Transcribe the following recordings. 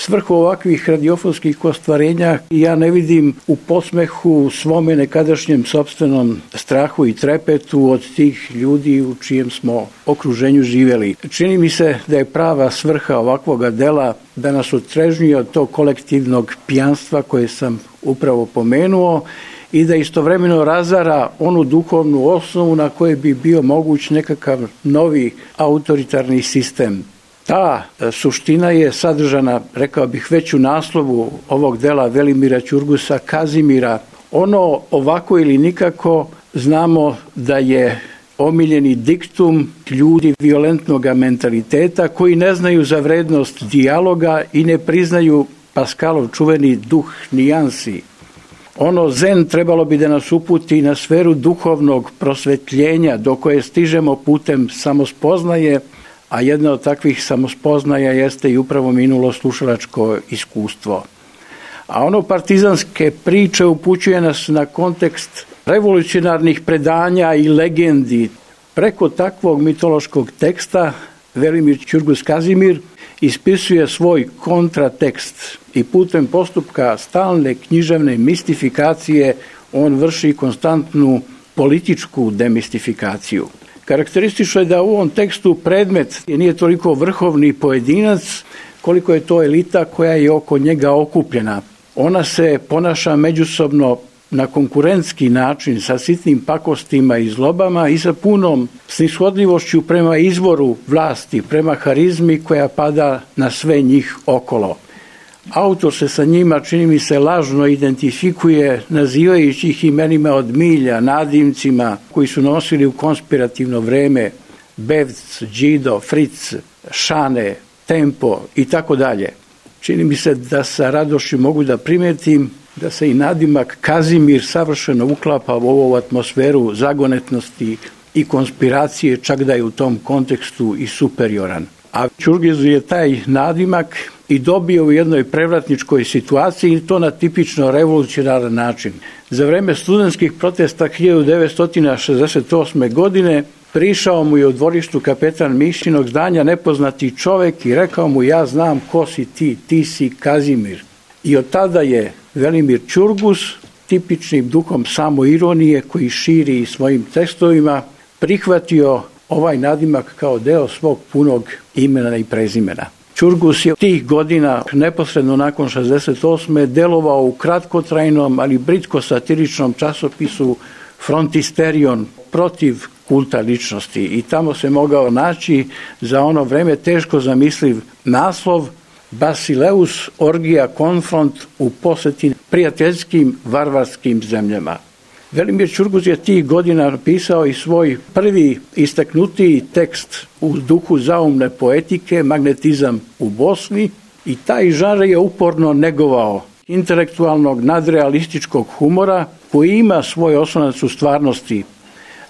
svrhu ovakvih radiofonskih ostvarenja ja ne vidim u posmehu svome nekadašnjem sopstvenom strahu i trepetu od tih ljudi u čijem smo okruženju živjeli. Čini mi se da je prava svrha ovakvoga dela da nas otrežnjuje od tog kolektivnog pijanstva koje sam upravo pomenuo i da istovremeno razara onu duhovnu osnovu na kojoj bi bio moguć nekakav novi autoritarni sistem. Ta suština je sadržana, rekao bih, već u naslovu ovog dela Velimira Ćurgusa Kazimira. Ono ovako ili nikako znamo da je omiljeni diktum ljudi violentnog mentaliteta koji ne znaju za vrednost dijaloga i ne priznaju Pascalov čuveni duh nijansi. Ono zen trebalo bi da nas uputi na sferu duhovnog prosvetljenja do koje stižemo putem samospoznaje, a jedna od takvih samospoznaja jeste i upravo minulo slušalačko iskustvo. A ono partizanske priče upućuje nas na kontekst revolucionarnih predanja i legendi. Preko takvog mitološkog teksta Velimir Ćurgus Kazimir ispisuje svoj kontratekst i putem postupka stalne književne mistifikacije on vrši konstantnu političku demistifikaciju. Karakteristično je da u ovom tekstu predmet nije toliko vrhovni pojedinac koliko je to elita koja je oko njega okupljena. Ona se ponaša međusobno na konkurentski način sa sitnim pakostima i zlobama i sa punom snishodljivošću prema izvoru vlasti, prema harizmi koja pada na sve njih okolo. Autor se sa njima, čini mi se, lažno identifikuje nazivajući ih imenima od milja, nadimcima koji su nosili u konspirativno vreme: Bevc, Đido, Fric, Šane, Tempo i tako dalje. Čini mi se da sa radošću mogu da primetim da se i nadimak Kazimir savršeno uklapa u ovu atmosferu zagonetnosti i konspiracije, čak da je u tom kontekstu i superioran. A Ćurgus je taj nadimak i dobio u jednoj prevratničkoj situaciji i to na tipično revolucionaran način. Za vreme studentskih protesta 1968. godine prišao mu je u dvorištu kapetan Mišinog zdanja nepoznati čovek i rekao mu: ja znam ko si ti, ti si Kazimir. I od tada je Velimir Ćurgus, tipičnim duhom samoironije koji širi svojim tekstovima, prihvatio ovaj nadimak kao deo svog punog imena i prezimena. Ćurgus je tih godina, neposredno nakon 68. delovao u kratkotrajnom, ali britko-satiričnom časopisu Frontisterion protiv kulta ličnosti i tamo se mogao naći za ono vreme teško zamisliv naslov Basileus orgija konfront u poseti prijateljskim varvarskim zemljama. Velimir Ćurgus je tih godina napisao i svoj prvi istaknutiji tekst u duhu zaumne poetike, Magnetizam u Bosni, i taj žanr je uporno negovao intelektualnog nadrealističkog humora koji ima svoj osnovac u stvarnosti.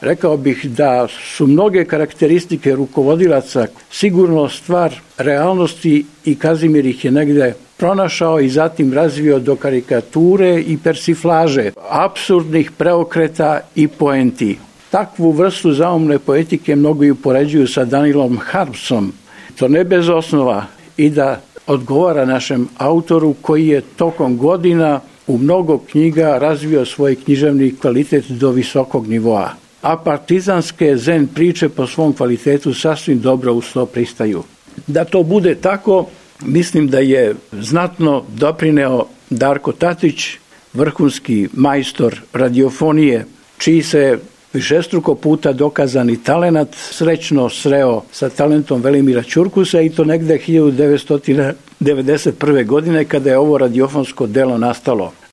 Rekao bih da su mnoge karakteristike rukovodilaca sigurno stvar realnosti i Kazimir ih je negde pronašao i zatim razvio do karikature i persiflaže, apsurdnih preokreta i poenti. Takvu vrstu zaumne poetike mnogi upoređuju sa Danielom Harmsom. To ne bez osnova i da odgovara našem autoru koji je tokom godina u mnogo knjiga razvio svoj književni kvalitet do visokog nivoa. A partizanske zen priče po svom kvalitetu sasvim dobro uz to pristaju. Da to bude tako, mislim da je znatno doprineo Darko Tatić, vrhunski majstor radiofonije, čiji se višestruko puta dokazani talenat srećno sreo sa talentom Velimira Ćurgusa i to negde 1991. godine kada je ovo radiofonsko delo nastalo.